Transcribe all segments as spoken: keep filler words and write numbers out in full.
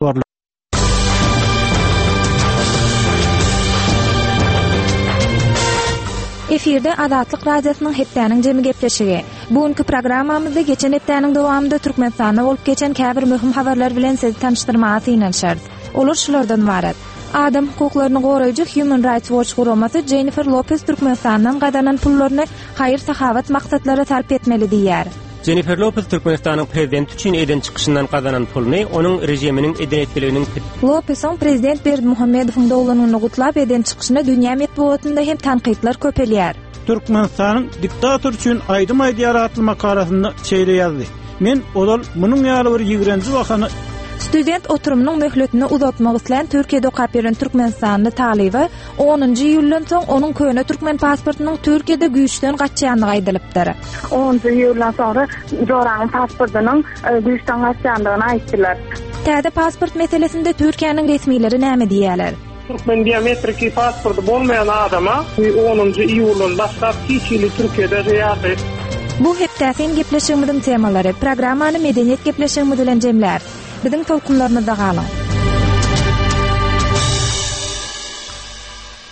Efirde Azatlyk Radiosynyň hepdäniň jemi gepleşigi. Bu günki programmamyzda geçen hepdäniň dowamynda Türkmenistanda bolup geçen käbir möhüm habarlar bilen sizi tanyşdyrmaga synanyşarys. Olar şulardan ybarat. Adam hukuklaryny goraýjy Human Rights Watch guramasy Jennifer Lopez Türkmenistandan gazanan pullaryny haýyr-sahawat maksatlara sarp etmeli diýýär. Jennifer Lopez Türkmenistanyň prezidenti üçin eden çykyşyndan gazanan puluny onuň režiminiň eden etdiliginiň Lopesiň prezident Berdimuhamedowyň doglan gününi gutlap eden çykyşyna dünýä metbugatynda hem tankytlar köpelýär. Türkmenistanyň diktator üçin aýdym aýdýar atly makalasynda şeýle ýazdy. Men ozal munuň ýaly bir ýigrenji wakany Student oturumynyň möhletini uzatmak islän Türkiýede okap ýören Türkmenistanly talyba onunjy iýuldan soň onuň köne türkmen pasportynyň Türkiýede güýçden gaçýandygy aýdylypdyr. Onunjy iýuldan soňra Joraň pasportynyň e, güýçden gaçýandygyny aýtdylar. Täze pasport meselesinde Türkiýäniň resmileri näme diýýärler? Türkmen biometriki pasporty bolmaýan adama onunjy iýuldan başlap hiç hili Türkiýede ýaşaýyş Bu hepdäsin gepleşigimiziň temalary programmany medeniýet gepleşigimiz bilen jemläris. Biziň tolkunlarymyzda galyň.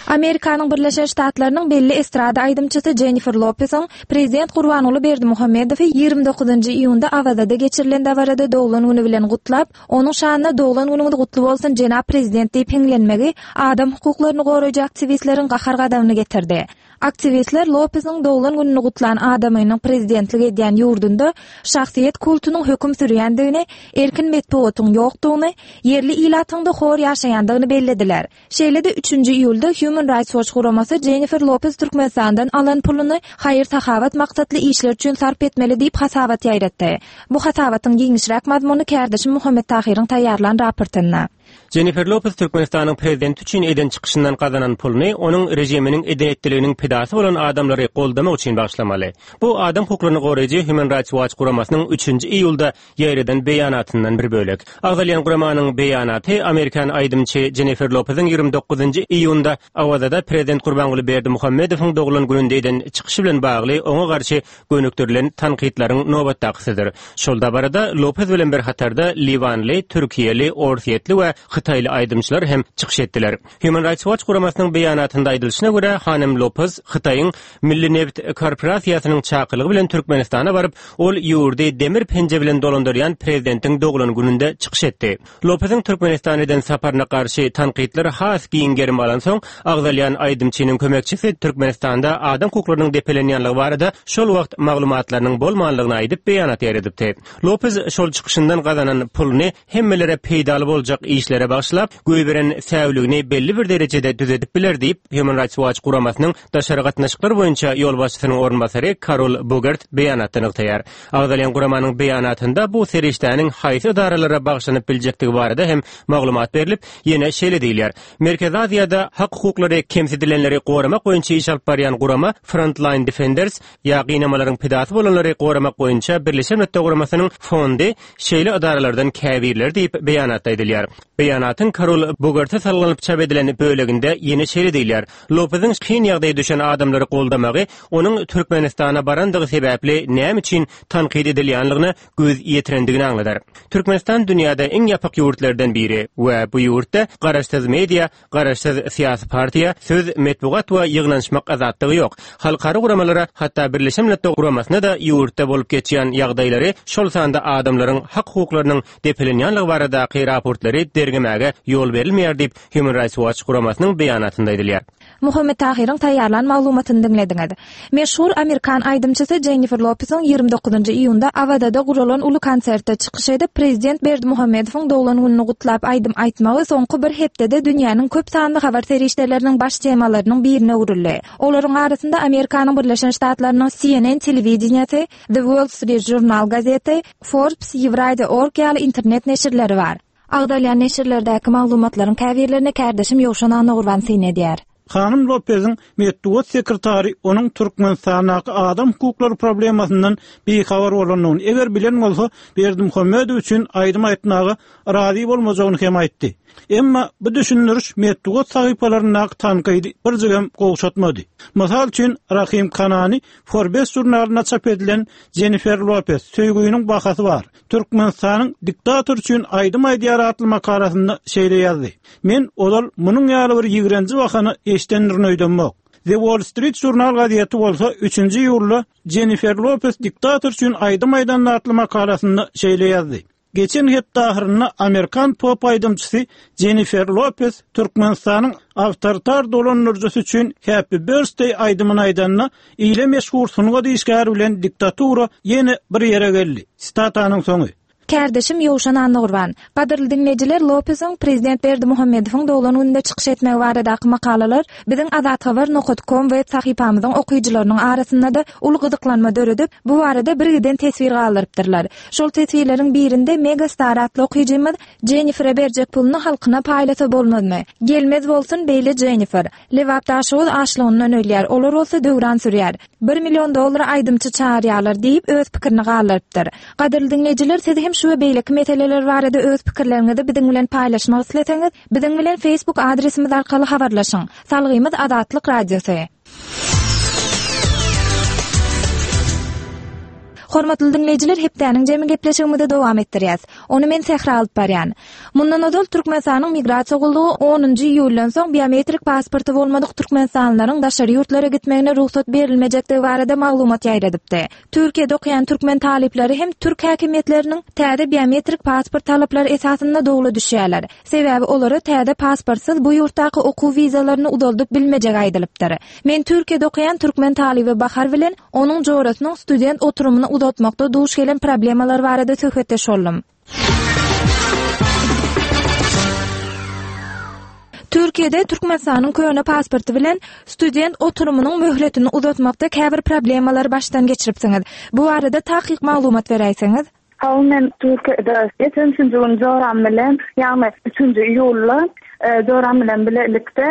Amerikanyň Birleşen Ştatlarynyň belli estrada aýdymçysy Jennifer Lopesiň prezident Gurbanguly Berdimuhamedowy ýigrimi dokuzynjy iýunda Awazada geçirilen dabarada doglan güni bilen gutlap, onuň şanyna doglan günüňiz gutly bolsun jenap prezident diýip hiňlenmegi adam hukuklaryny goraýjy aktiwistleriň gahar-gazabyny getirdi. Aktiwistler Lopesiň doglan gününi gutlan adamynyň prezidentlik edýän ýurdunda şahsyýet kultunyň höküm sürýändigini, erkin metbugatyň ýokdugyny, ýerli ilatyň-da hor ýaşaýandygyny bellediler. Şeýle-de üçünji iýulda Human Rights Watch guramasy Jennifer Lopez Türkmenistandan alan puluny haýyr-sahawat maksatly işler üçin sarp etmeli diýip hasabat ýaýratdy. Bu hasabatyň giňişräk mazmuny kärdeşim Muhammet Tahyryň taýýarlan raportynda. Jennifer Lopez Türkmenistanyň prezidenti üçin eden çykyşyndan gazanan puluny onuň režiminiň eden etdiliginiň pidasy bolan adamlary goldamak üçin bagyşlamaly. Bu adam hukuklaryny goraýjy Human Rights Watch guramasynyň üçünji iýulda ýaýradan beýanatyndan bir bölek. Agzalýan guramanyň beýanaty Amerikan aýdymçy Jennifer Lopeziň ýigrimi dokuzynjy iýunda Awazada prezident Gurbanguly Berdimuhamedowyň doglan gününde eden çykyşy bilen bagly oňa garşy gönükdirilen tankytlaryň nobatdakysydyr. Şol dabarada Lopez bilen bir hatarda Liwanly, Türkiýeli, Orsýetli we Hytaýly aýdymçylar hem çykyş etdiler. Human Rights Watch guramasynyň beýanatynda aýdylyşyna görä, Hanym Lopez Hytaýyň Milli Neft Korporasiýasynyň çakylygy bilen Türkmenistana baryp, ol ýurdy demir penje bilen dolandyrýan prezidentiň doglan gününde çykyş etdi. Lopeziň Türkmenistana eden saparyna garşy tankytlar has giň gerim alansoň, agzalýan aýdymçynyň kömekçisi Türkmenistanda adam hukuklarynyň depelenýänligi barada şol wagt maglumatlarynyň bolmanlygyny aýdyp beýanat ýaýradypdy. Lopez şol çykyşyndan gazanan puluny hemmelere peýdaly boljak işlere bagyşlap, goýberen säwligini belli bir derejede düzedip biler diýip, Human Rights Watch guramasynyň daşary gatnaşyklar boýunça ýolbaşçysynyň orunbasary Karol Bogert beýanatda nygtaýar. Agzalýan guramanyň beýanatynda bu serişdäniň haýsy edaralara bagyşlanyp biljekdigi barada hem maglumat berlip, ýene şeýle diýilýär. Merkezi Aziýada hak hukuklary kemsidilenleri goramak boýunça iş alyp barýan gurama Frontline Defenders ýa gynamalaryň pidasy bolanlary goramak boýunça Birleşen Milletler Guramasynyň fondy şeýle edaralardan käbirleri diýip beýanatda aýdylýar. Beýanatyň Karol Bogerta salgylanyp çap edilen böleginde ýene şeýle diýilýär. Lopeziň kyn ýagdaýa düşen adamlary goldamagy onuň Türkmenistana barandygy sebäpli näme üçin tankyt edilýänligine göz ýetirendigini aňladar. Türkmenistan dünýäde iň ýapyk ýurtlardan biri we bu ýurtda garaşsyz media, garaşsyz syýasy partiýa, söz, metbugat we ýygnanyşmak azatlygy ýok. Halkara guramalara, hatda Birleşen Milletler Guramasyna da ýurtda bolup geçýän ýagdaýlary, şol sanda adamlaryň hak hukuklarynyň depelenýänligi baradaky raportlary derňemäge ýol berilmeýär diýip Human Rights Watch guramasynyň beýanatynda aýdylýar. Muhammet Tahyryň taýýarlan maglumatyny diňlediňiz. Meşhur Amerikan aýdymçysy Jennifer Lopeziň ýigrimi dokuzynjy iýunda Awazada guralan uly konsertde çykyş edip, prezident Berdimuhamedowyň doglan gününi gutlap aýdym aýtmagy soňky bir hepdede dünýäniň köp sanly habar serişdeleriniň baş temalarynyň birine öwrüldi. Olaryň arasynda Amerikanyň Birleşen Ştatlarynyň C N N telewideniýasy, The Wall Street Journal gazeti, Forbes, Eurasia org ýaly internet neşirleri bar. Agzalýan neşirlerdäki maglumatlaryň käbirlerine kärdeşim Ýowşan Annagurban syn edýär. Hanym Lopeziň metbugat sekretary onuň Türkmenistandaky adam hukuklary problemasyndan bihabar bolandygyny, eger bilen bolsa Berdimuhamedow üçin aýdym aýtmaga razy bolmajagyny hem aýtdy. Emma bu düşündiriş metbugat sahypalaryndaky tankydy birjigem gowşatmady. Mysal üçin Rahim Kanani Forbes jurnalynda çap edilen Jennifer Lopez söýgüniň bahasy bar. Türkmenistanyň diktator üçin aýdym aýdýar atly makalasynda şeýle ýazdy. Men ozal munuň ýaly bir ýigrenji bahany eşdendirin öýdemok. The Wall Street Journal gazeti bolsa üçünji iýulda Jennifer Lopez diktator üçin aýdym aýdan atly makalasynda şeýle ýazdy. Geçen hepde ahyrynda Amerikan pop aýdymçysy Jennifer Lopez Türkmenistanyň awtoritar dolandyryjysy üçin Happy Birthday aýdymyny aýdanda, ile meşhur sungat işgäri bilen diktatura ýene bir ýere geldi. Sitatanyň soňy. Kärdeşim Ýowşan Annagurban. Gadyrly diňleýjiler, Lopeziň Prezident Berdimuhamedowyň doglan gününde çykyş etmegi baradaky makalalar biziň azathabar nokta com web sahypamyzyň okyjylarynyň arasynda-da uly gyzyklanma döredip, bu barada bir giden teswir galdyrypdyrlar. Şol teswirleriň birinde Megastar atly okyjymyz Jennifere berjek puluny halkyna paýlasa bolmazmy? Gelmez bolsun beýle Jennifer. Lebap Daşoguz açlygyndan ölýär, olar bolsa döwran sürýär. Bir million dollar aýdymçy çağırýarlar diýip öz pikirini galdyrypdyr. Gadyrly diňleýjiler, siz hem şu we beýleki meseleler barada öz pikirleriňizi biziň bilen paýlaşmak isleseňiz, biziň bilen Facebook adresimiz arkaly habarlaşyň. Salgymyz Azatlyk Radiosy. Hormatly diňleýjiler, hepdäniň jemi gepleşigimizi dowam etdirýäs. Ony men Sähra alyp barýan. Mundan ozal Türkmenistanyň migrasiýa gullugy onunjy iýuldan soň biometrik pasporty bolmadyk türkmenistanlylaryň daşary ýurtlara gitmegine rugsat berilmejekdigi barada maglumat ýaýradypdy. Türkiýede okaýan türkmen talyplary hem türk häkimiýetleriniň täze biometrik pasport talaplary esasynda dogla düşýärler. Sebäbi olara täze pasportsyz bu ýurtdaky okuw wizalaryny uzaldyp bilmejek aýdylypdyr. Men Türkiýede okaýan türkmen talyby Bahar bilen onuň jorasynyň student oturumyny uzatmakda duş gelen problemalar barada söhbetdeş boldum. Türkiýede Türkmenistanyň köne pasporty bilen student oturumynyň möhletini uzatmakda käbir problemalar başdan geçiripsiňiz. Bu barada takyk maglumat beräýseňiz. Hawa, men Türkiýede geçen üçünji gün joram bilen, ýagny üçünji iýulda, e, joram bilen bilelikde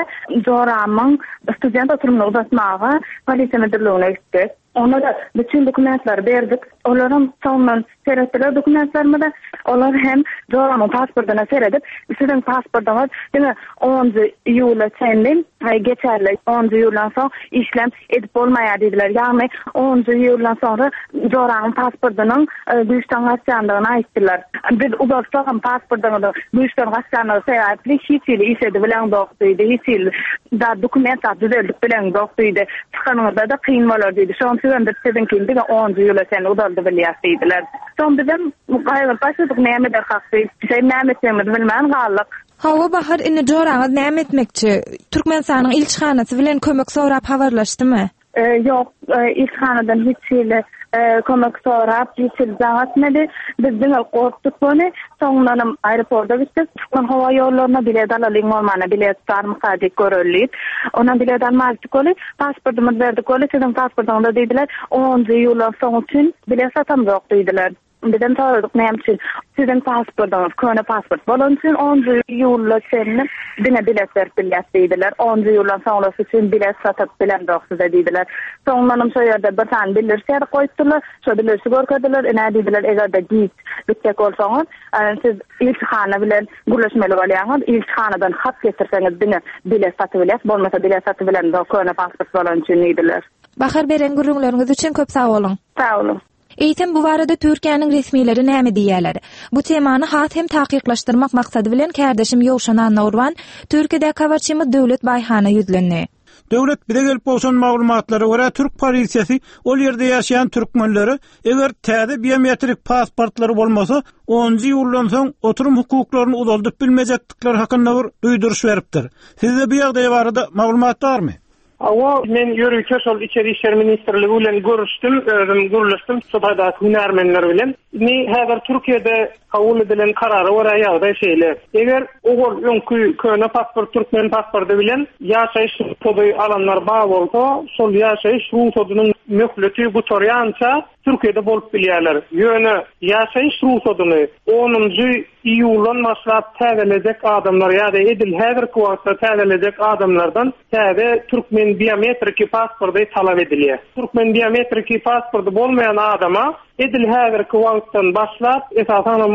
joramyň student oturumyny uzatmaga polisiýa müdirligine gitdik. Onlara bütün dokumentleri berdik. Olaram soňundan seretdiler dokumentlerimize. Olar hem joramyň pasportyna seredip, siziň pasportyňyz diňe onunjy iýula çenli, e, geçerli. Onunjy iýuldan soň işlem edip bolmaýar diýdiler. Ýagny onunjy iýuldan soňra joramyň pasportynyň, e, güýçden gaçýandygyny aýtdylar. Biz uzatsak hem pasportyňyzy güýçden gaçýandygy sebäpli hiç hili iş edip bileňzok diýdi. Hiç hili da dokument düzeldip bileňzok diýdi. Çykanyňyzda da kyn bolar diýdi. Şonuň üçin biz siziňkini diňe onunjy iýula çenli uzaldy bilýäs diýdiler. Soň bizem gaýgyryp başladyk, näme eder hak diýip. Şey näme etjegimizi bilmän galdyk. Hawa Bahar, indi joraňyz näme etmekçi? Türkmenistanyň ilçihanasy bilen kömek sorap habarlaşdymy? E, ýok, e, ilçihanadan hiç hili, e, kömek sorap, hiç hili jaň etmedi. Biz diňe gorkduk ony. Soňundanam aeroporta gitdik. Türkmen howa ýollaryna bilet alalyň bolmana, bilet barmyka diýip göreli diýip. Ondan bilet almadyk ony. Pasportymyzy berdik ony. Siziň pasportyňyzda diýdiler, onunjy iýuldan soň üçin bilet satamzok diýdiler. Bizem soradyk näme üçin? Siziň pasportyňyz köne pasport bolan üçin onunjy iýulda çenli diňe bilet berip bilýäs diýdiler. Onunjy iýuldan soňrasy üçin bilet satyp bilemzok size diýdiler. Soňundanam şo ýerde bir sany bildiriş ýazyp goýupdyrlar. Şo bildirişi görkezdiler. Ine diýdiler, eger-de giç gitjek bolsaňyz, e, siz ilçihana bilen gürleşmeli bolýaňyz. Ilçihanadan hat getirseňiz diňe bilet satyp bilýäs, bolmasa bilet satyp bilemzok köne pasport bolan üçin diýdiler. Bahar, beren gürrüňleriňiz üçin köp sag boluň. Sag boluň. Eýsem bu barada Türkiýäniň resmileri näme diýýärler? Bu temany has hem takyklaşdyrmak maksady bilen kärdeşim Ýowşan Annagurban Türkiýedäki habarçymyz Döwlet Baýhana ýüzlendi. Döwlet bize gelip gowşan maglumatlara görä Türk polisiýasy ol ýerde ýaşaýan türkmenlere eger täze biometrik pasportlary bolmasa, onunjy iýuldan soň oturum hukuklaryny uzaldyp bilmejekdikleri hakynda bir duýduryş beripdir. Sizde bu ýagdaý barada maglumat barmy? Hawa, men ýörite şol İçeri İşler Ministrligi bilen görüşdüm, özüm gürleşdim şu taýdaky hünärmenler bilen. Indi häzir Türkiýede kabul edilen karara görä ýagdaý şeýle. Eger ogul öňkü köne pasport, türkmen pasporty bilen ýaşaýyş rugsady alanlar bar bolsa, şol ýaşaýyş rugsadynyň möhleti gutarýança Türkiýede bolup bilýärler. Ýöne ýaşaýyş rugsadyny onunjy iýuldan başlap täzelejek adamlar ýa-da edil häzirki wagtda täzelejek adamlardan täze türkmen biometriki pasporty talap edilýär. Türkmen biometriki pasporty bolmaýan adama edil häzirki wagtdan başlap, esasanam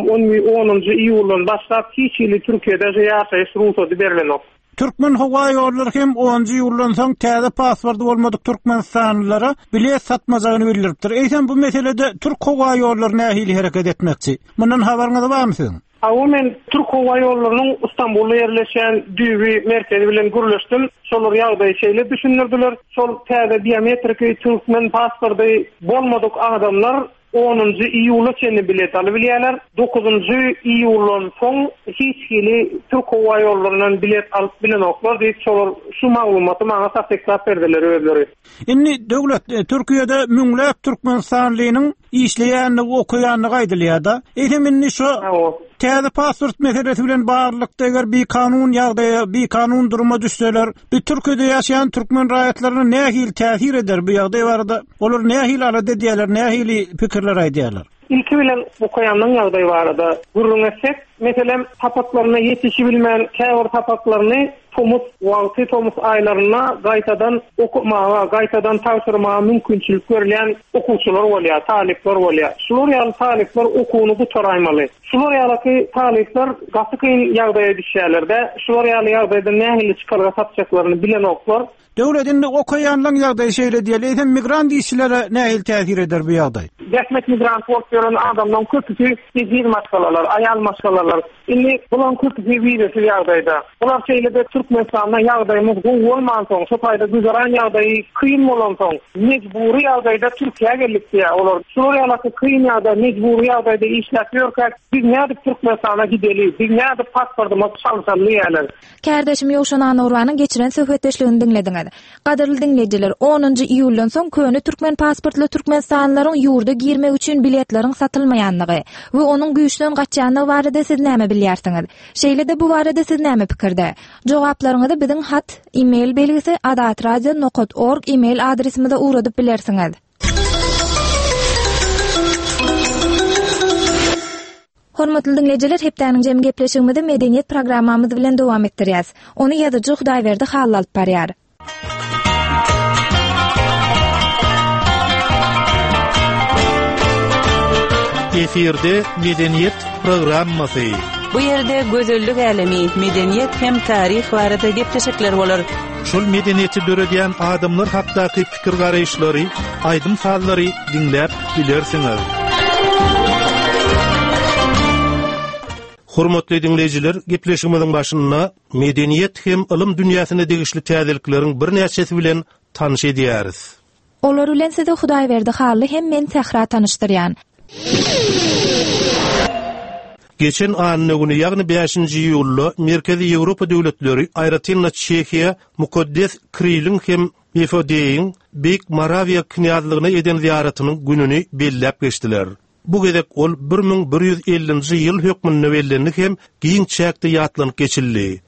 onunjy iýuldan başlap hiç hili Türkiýede ýaşaýyş rugsady berilenok. Türkmen howa ýollary hem onunjy iýuldan soň täze pasporty bolmadyk türkmenistanlylara bilet satmajagyny bildiripdir. Eýsem bu meselede Türk howa ýollary nähili hereket etmekçi? Mundan habaryňyz barmy siziň? Hawa, men Türk howa ýollarynyň Istanbulda ýerleşýän düýbi merkezi bilen gürleşdim. Şolar ýagdaýy şeýle düşündirdiler. Şol täze biometriki türkmen pasporty bolmadyk adamlar onunjy iýula çenli bilet alyp bilýärler. Dokuzunjy iýuldan soň hiç hili Türk howa ýollaryndan bilet alyp bilenoklar diýip, şolar şu maglumaty maňa tassyklap berdiler özleri. Indi döwlet, e, Türkiýede müňläp türkmenistanlynyň işleýänligi, okaýanlygy aýdylýar-da. Eýsem indi şu täze pasport meselesi bilen baglylykda eger bir kanun ýagdaýa, bir kanun duruma düşseler, bir Türkiýede ýaşaýan türkmen raýatlaryna nähili täsir eder bu ýagdaý barada? Olar nähili alada edýärler, nähili pikirler aýdýarlar? Ilki bilen okaýanlaryň ýagdaýy barada gürrüň etsek, meselem, sapaklaryna ýetişi bilmän, käbir sapaklaryny tomus wagty, tomus aýlarynda gaýtadan okamaga, gaýtadan tabşyrmaga mümkinçilik berilýän okuwçylar bolýar, talyplar bolýar. Şular ýaly talyplar okuwyny gutaraýmaly. Şular ýaly talyplar gaty kyn ýagdaýa düşýärler-de, şular ýaly ýagdaýda nähili çykalga tapjaklaryny bilenoklar. Döwlet indi okaýanlaryň ýagdaýy şeýle diýeli, eýsem migrant işçilere nähili täsir eder bu ýagdaý? Zähmet migrant bolup ýören adamlaryň köpüsi ejiz maşgalalar, aýal maşgalalar. Indi bularyň köpüsi wizesiz ýagdaýda. Bular şeýle-de Türkmenistanda ýagdaýymyz gowy bolmansoň, şo taýda güzeran ýagdaýy kyn bolansoň, mejbury ýagdaýda Türkiýä geldik diýär. Olar şular ýaly kyn ýagdaý, mejbury ýagdaýda işläp ýörkäk, biz nädip Türkmenistana gideli, biz nädip pasportymyzy çalşaly diýärler. Kärdeşim Ýowşan Anurwanyň geçiren söhbetdeşligini diňlediňiz. Gadyrly diňleýjiler, onunjy iýuldan soň köne türkmen pasportly türkmenistanlylaryň ýurda girmek üçin biletleriň satylmaýanlygy we onuň güýçden gaçýanlygy barada siz näme bilýärsiňiz? Şeýle-de bu barada siz näme pikirde? Jogaplaryňyzy biziň hat, e-mail belgisi azatradio nokta org e-mail adresimize ugradyp bilersiňiz. Hormatly diňleýjiler, hepdäniň jem gepleşigimizi medeniýet programmamyz bilen dowam etdirýäs. Ony ýazyjy Hudaýberdi Hally alyp barýar. Efirde medeniýet programmasy. Bu ýerde gözellik älemi, medeniýet hem taryh barada gepleşikler bolar. Şol medeniýeti döredýän adamlar hakdaky pikir garaýyşlary, aýdym sazlary diňläp bilersiňiz. Hormatly diňleýjiler, gepleşigimiziň başynda medeniýet hem ylym dünýäsine degişli täzelikleriň birnäçesi bilen tanyş edýäris. Olar bilen sizi Hudaýberdi Hally hem men Sähra tanyşdyrýan. Geçen anna güni, ýagny bäşinji iýulda Merkezi Ýewropa döwletleri, aýratyn-da Çehiýa, Mukaddes Kiriliň hem Mefodiýiň Beýik Morawiýa knýazlygyna eden ziýaratynyň gününi belläp geçdiler. Bu gezek ol bir müň bir ýüz ellinji ýyl hökmünde bellendi hem giň çäkde ýatlanyp geçildi.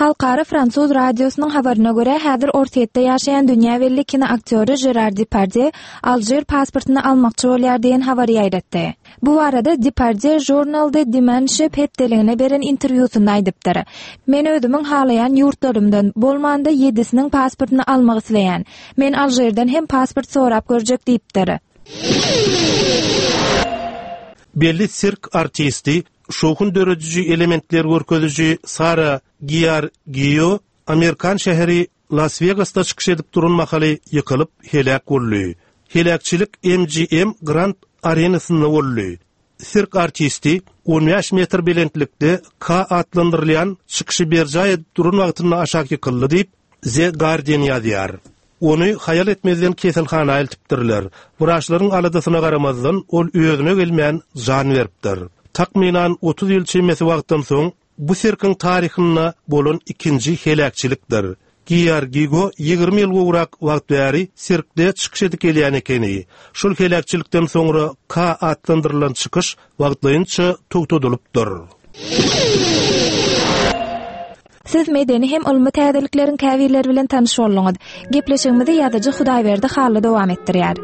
Halkara Fransuz radiosynyň habaryna görä, häzir Orsýetde ýaşaýan dünýä belli kino aktýory Gerard Depardieu Alžir pasportyny almakçy bolýar diýen habary ýaýratdy. Bu barada Depardieu Journal de Dimanche hepdeligine beren interwýusynda aýdypdyr. Men özümiň halaýan ýurtlarymdan bolmanda ýedisiniň pasportyny almak isleýän. Men Alžirden hem pasport sorap görjek diýipdir. Belli sirk artisti, şowhun dörediji elementler görkeziji Sara Giargio Amerikan şäheri Las Vegasda çykyş edip duran mahaly ýykylyp heläk boldy. Heläkçilik M G M Grand Arenasynda boldy. Sirk artisti on bäş metr belentlikde K atlandyrylýan çykyşy berjaý edip duran wagtynda aşak ýykyldy diýip The Guardian ýazýar. Ony haýal etmezden keselhana eltipdirler. Wraçlaryň aladasyna garamazdan ol özüne gelmän jan beripdir. Takmynan otuz ýyl çemesi wagtdan soň bu sirkiň taryhynda bolan ikinji heläkçilikdir. Giargigo ýigrimi ýyl gowrak wagt bäri sirkde çykyş edip gelýän ekeni. Şol heläkçilikden soňra K atlandyrylan çykyş wagtlaýynça togtadylypdyr. Siz medeni hem ylmy täzelikleriň käbirleri bilen tanyş bolduňyz. Gepleşigimizi ýazyjy Hudaýberdi Hally dowam etdirýär.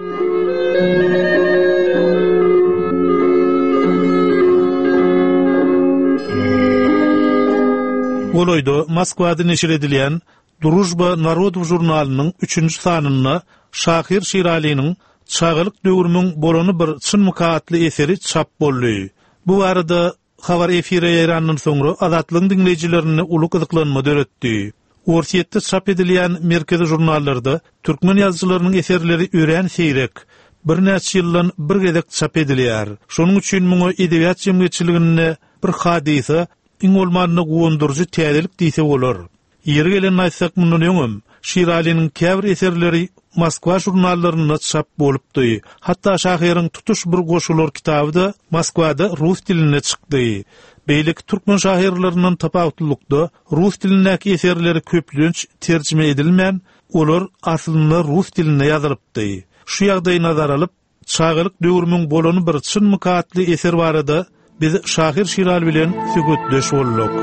Golaýda Moskwada neşir edilýän Družba Narodow žurnalynyň üçünji sanynda şahyr Şiralynyň Çagalyk döwrümiň bolany bir çynmyka atly eseri çap boldy. Bu barada habar efire ýaýrandan soňra Azatlygyň diňleýjilerinde uly gyzyklanma döretdi. Orsýetde çap edilýän merkezi žurnallarda türkmen ýazyjylarynyň eserleri örän seýrek, birnäçe ýyldan bir gezek çap edilýär. Şonuň üçin muňa edebiýat jemgyýetçiliginde bir hadysa, iň bolmanda guwandyryjy täzelik diýse bolar. Ýeri gelen aýtsak mundan öňem Şiralynyň käbir eserleri Moskwa žurnallarynda çap bolupdy. Hatda şahyryň tutuş bir goşgular kitaby da Moskwada rus dilinde çykdy. Beýleki türkmen şahyrlaryndan tapawutlylykda rus dilindäki eserleri köplenç terjime edilmän, olar aslynda rus dilinde ýazylypdy. Şu ýagdaýy nazara alyp, Çagalyk döwrümiň bolany bir çynmyka atly eser barada biz şahyr Şiraly bilen söhbetdeş bolduk.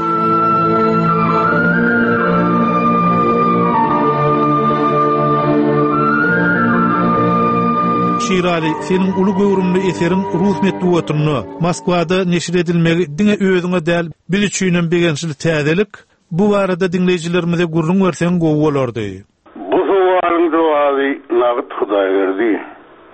Şiraly, seniň uly göwrümli eseriň rus metbugatynda Moskwada neşir edilmegi diňe özüňe däl, biz üçinem begençli täzelik. Bu barada diňleýjilerimize gürrüň berseň gowy bolardy. Bu sowalyň jogaby nagt Hudaýberdi.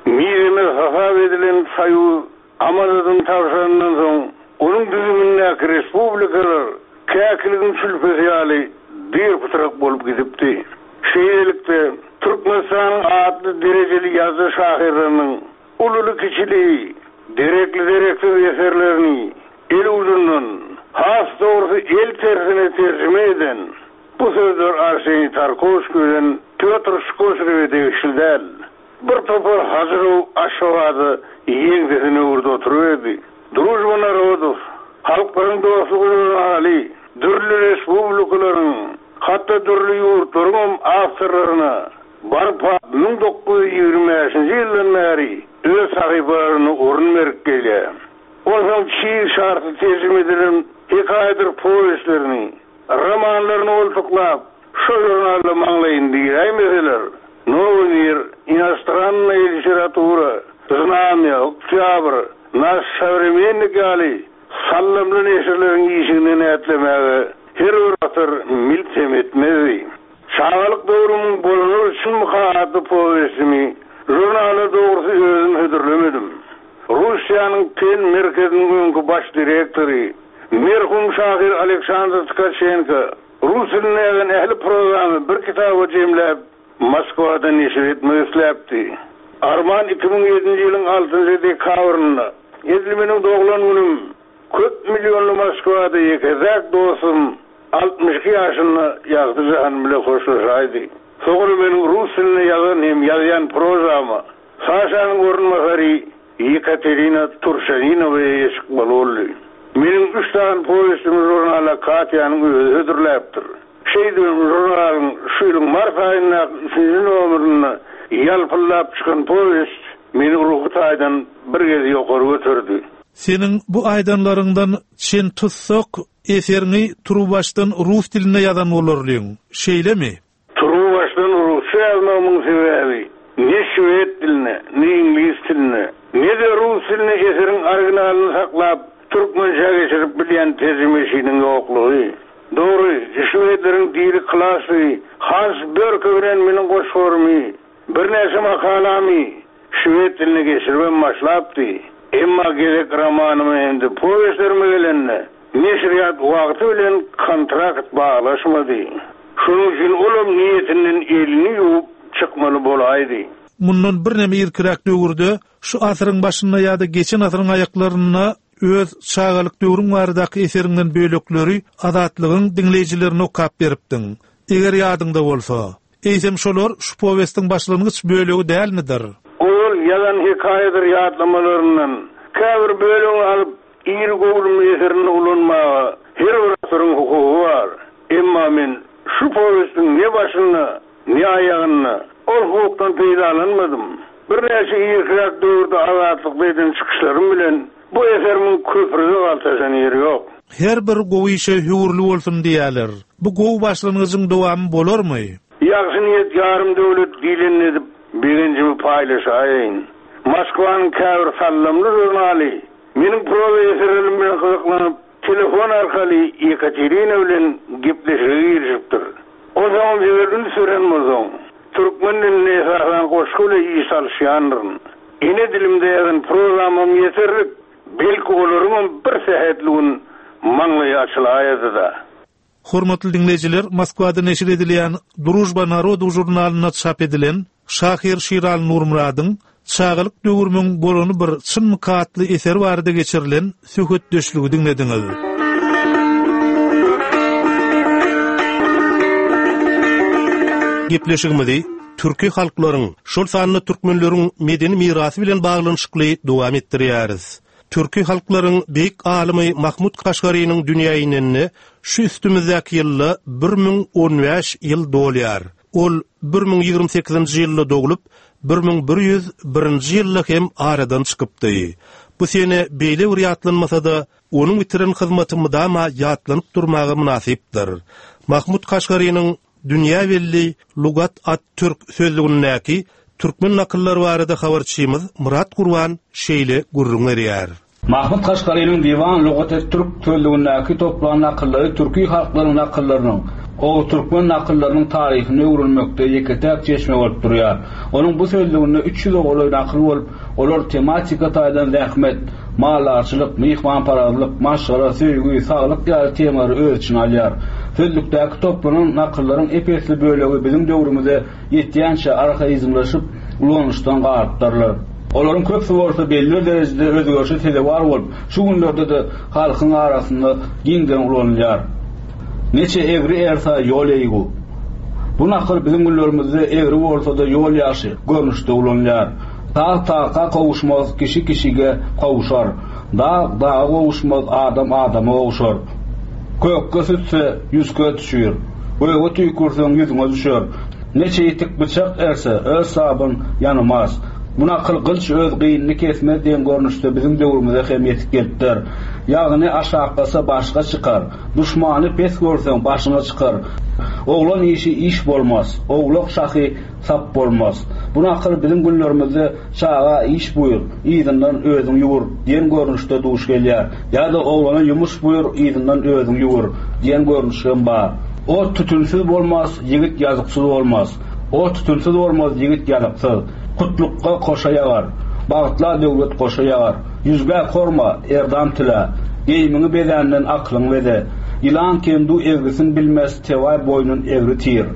Mizemez hasap edilen Soýuz amanadyny tabşyrandan soň onuň düzümindäki respublikalar käkiligiň çülpesi ýaly dyr-pytrak bolup gidipdi. Şeýlelikde, Türkmenistanyň atly derejeli ýazyjy şahyrlarynyň ululy-kiçili, derekli-dereksiz eserlerini el ucundan, has dogrusy el tersine terjime eden bu sözler Arseniý Tarkowskiý bilen Pýotr Skoşrewe degişli däl. Bir topar Hajyrow Aşgabada ýeňsesini öwürdi oturyberdi. Družba Narodow, halklaryň dostlugy žurnaly, dürli respublikalaryň, hatda dürli ýurtlaryň awtorlaryna barpa müň dokuz ýüz ýigrimi bäşinji ýyldan bäri öz sahypalaryna orun berip gelýär. Onsoň çig şartly terjime edilen hekaýadyr powestlerini, romanlaryny goltuklap, şo žurnalda maňlaýyny diräýmeseler, Nowy mir, Inostranная literatura, Znamya, Oktyabr, Naş Sowremennik ýaly sallamly neşirleriň işiginden ätlemäge her bir atyr milt hem etmezdi. Çagalyk döwrümiň bolany üçin atly powestimi žurnala dogrusy özüm hödürlemedim. Russiýanyň PEN merkeziniň öňki baş direktory merhum şahyr Aleksandr Tkaçenko rus dilindäki ähli prozamy bir kitaba jemläp Moskwada neşir etmek isläpdi. Arman iki müň ýedinji ýylyň altynjy dekabrynda edil meniň doglan günüm köp milyonly Moskwada ýekeräk dostum altmyş iki ýaşynda ýagty jahan bile hoşlaşaýdy. Soňra meniň rus dilinde ýazan hem ýazýan prozama Saşanyň orunbasary Yekaterina Turşaninowa eýe çykmaly boldy. Meniň üç sany powestimi žurnala Katýanyň özi hödürläpdir. Şeýdibem žurnalyň şu ýylyň mart aýyndaky üçünji nomerinde ýalpyldap çykan powest meni ruhy taýdan bir gez ýokary göterdi. Seniň bu aýdanlaryňdan çen tutsak eseriňi turuwbaşdan rus dilinde ýazan bolarlyň. Şeýlemi? Turuwbaşdan rusça ýazmagymyň sebäbi ne şwed diline, ne iňlis diline, ne-de rus diline eseriň originalyny saklap türkmençä geçirip bilýän terjimeçiniň ýoklugy. Dogry, şwedleriň dili klasy Hans Börke bilen meniň goşgularmy, birnäçe makalamy şwed diline geçiribem başlapdy. Emma gezek romanymy hem-de powestlerime gelende neşirýat wagty bilen kontrakt baglaşmady. Şonuň üçin olam niýetinden elini ýuwup çykmaly bolaýdy. Mundan birneme irkiräk döwürde şu asyryň başynda ýa-da geçen asyryň aýaklarynda öz çagalyk döwrüň baradaky eseriňden bölekleri Azatlygyň diňleýjilerine okap beripdiň. Eger ýadyňda bolsa, eýsem şolar şu powestiň başlangyç bölegi dälmidir? Ol ýazan hekaýadyr ýatlamalaryndan käbir bölegini alyp iri göwrümli eserini ulanmaga her bir asyryň hukugy bar. Emma men şu powestiň ne başynda, ne aýagynda ol hukukdan peýdalanmadym. Birnäçe irkiräk döwürde Azatlykda eden çykyşlarym bilen bu eserimin köprüde galtaşan ýeri ýok. Her bir gowy işe höwürli bolsun diýerler. Bu gowy başlangyjyň dowamy bolarmy? Ýagşy niýet ýarym döwlet diýlenini edip, begenjimi paýlaşaýyn. Moskwanyň käbir sallamly žurnaly meniň proza eserlerim bilen gyzyklanyp, telefon arkaly Ýekaterina bilen gepleşige girişipdir. Onsoňam eger üns beren bolsaň, türkmen dilinde esasan goşgy bilen iş salyşýandyryn. Ene dilimde ýazan prozamam ýeterlik, belki olaryňam bir sähetli gün maňlaýy açylaýady-da. Hormatly diňleýjiler, Moskwada neşir edilýän Družba narodow žurnalynda çap edilen şahyr Şiraly Nurmyradyň Çagalyk döwrümiň bolany bir çynmyka atly eseri barada geçirilen söhbetdeşligi diňlediňiz. Gepleşigimizi türki halklaryň, şol sanda türkmenleriň medeni mirasy bilen baglanyşykly dowam etdirýäris. Türki halklaryň beýik alymy Mahmut Kaşgarynyň dünýä inenine şu üstümizdäki ýylda bir müň on bäş ýyl dolýar. Ol bir müň ýigrimi sekizinji ýylda doglup, bir müň bir ýüz birinji ýylda hem aradan çykypdy. Bu sene beýle bir ýatlanmasa-da, onuň bitiren hyzmaty mydama ýatlanyp durmaga mynasypdyr. Mahmut Kaşgarynyň dünýä belli Lugat at Türk sözlügindäki türkmen nakyllary barada habarçymyz Murat Gurban şeýle gürrüň berýär. Mahmut Kaşgarynyň Diwan Lugat et Türk sözlügindäki toplan nakyllary türki halklaryň nakyllarynyň, o türkmen nakyllarynyň taryhyny öwrenmekde ýeke-täk çeşme bolup durýar. Onuň bu sözlüginde üç ýüz golaý nakyl bolup, olar tematika taýdan zähmet, maldarçylyk, myhmanparazlyk, maşgala, söýgi, saglyk ýaly temalary öz içine alýar. Sözlükdäki toplanan nakyllaryň ep-esli bölegi biziň döwrümize ýetýänçe arhaizmleşip ulanyşdan galypdyrlar. Olaryň köpüsi bolsa belli bir derejede özgerişe sezewar bolup, şu günlerde-de halkyň arasynda giňden ulanylýar. Neçe egri ersa ýol eýgu. Bu nakyl biziň günlerimizde egri bolsa-da ýol ýagşy görnüşde ulanylýar. Tag taga kowuşmaz, kişi kişige kowuşar. Dag daga kowuşmaz, adam adama kowuşar. Kökge sütse ýüzke düşür. Göge tüýkürseň ýüzüňe düşer. Neçe ýetik bıçak erse öz sabyn ýanymaz. Bu nakyl gylç öz gynyny kesmez diýen görnüşde biziň döwrümize hem ýetip gelipdir. Ýagny aşaklasa başga çykar. Düşmany pes görseň başyňa çykar. Oglan işi iş bolmaz. Owlak şahy sap bolmaz. Bu nakyl biziň günlerimizde çaga iş buýur, yzyndan özüň ýuwur diýen görnüşde duş gelýär. Ýa-da oglana ýumuş buýur, yzyndan özüň ýuwur diýen görnüş hem bar. Ot tütünsiz bolmaz, ýigit ýazyksyz bolmaz. Ot tütünsiz bolmaz, ýigit ýazyksyz. Kutlukka koşa ýagar. Bagtla döwlet koşa ýagar. Ýüzgä korma, erdam tile. Geýimiňi bezänden aklyň beze. Ýylan kendu egrisin bilmez, tewaý boýnun egri tir.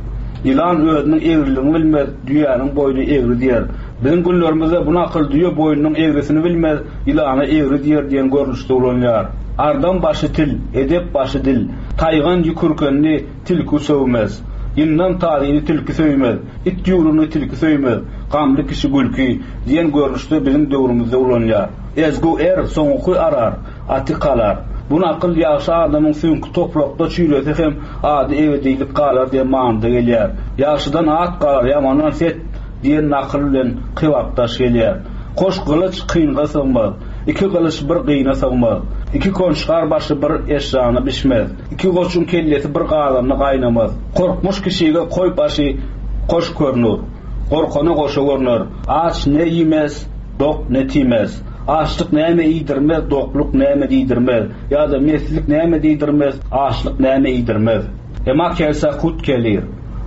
Ýylan özüniň egriligini bilmez, düýäniň boýny egri diýer. Biziň günlerimizde bu nakyl düýe boýnunyň egrisini bilmez, ýylana egri diýer diýen görnüşde ulanylýar. Ardam başy til, edep başy dil. Taýgan ýükürkenini tilki söwmez. Ýyndan tazyny tilki söýmez, it ýüwrüni tilki söýmez, gamly kişi gülki diýen görnüşde biziň döwrümizde ulanylýar. Ezgu er soňuky arar, aty kalar. Bu nakyl ýagşy adamyň süňki toprakda çüýresi hem ady ebedilik galar diýen manyda gelýär. Ýagşydan at galar, ýamandan set diýen nakyl bilen kybapdaş gelýär. Koş gylyç kynga sygmaz, iki gylyç bir gyna sygmaz. Iki konçgar başy bir eşrana bişmez. Iki goçuň kellesi bir gazanda gaýnamaz. Korkmuş kişige koý başy koş görünür. Gorkana goşa görünür. Aç ne iýmez, dok ne tiýmez. Açlyk näme iýdirmez, dokluk näme diýdirmez. Ýa-da meslik näme diýdirmez, açlyk näme iýdirmez. Ema kelse hut kelir.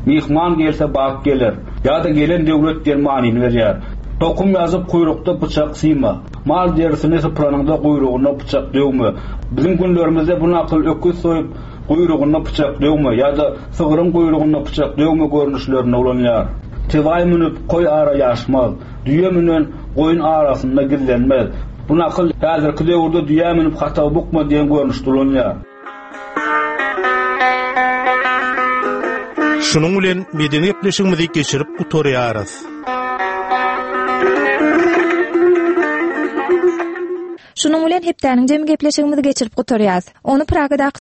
Mihman gelse bagt geler. Ýa-da gelen döwlet diýen manyny berýär. Tokum ýazyp kuyrukda bıçak syma. Mal derisini sypranynda kuyruğuna bıçak döwme. Bizim günlerimizde bu nakyl öküz soýup kuyruğuna bıçak döwme ýa-da sygryň kuyruğuna bıçak döwme görnüşlerinde ulanylýar. Tewaý münüp koý ara ýaşmaz. Düýe münen goýun arasynda gizlenmez. Bu nakyl häzirki döwürde düýe münüp hata bukma diýen görnüşde ulanylýar. Şunuň bilen medeni gepleşigimizi geçirip gutarýarys. Şunuň bilen hepdäniň jemi gepleşigimizi geçirip gutarýarys. Ony Pragadaky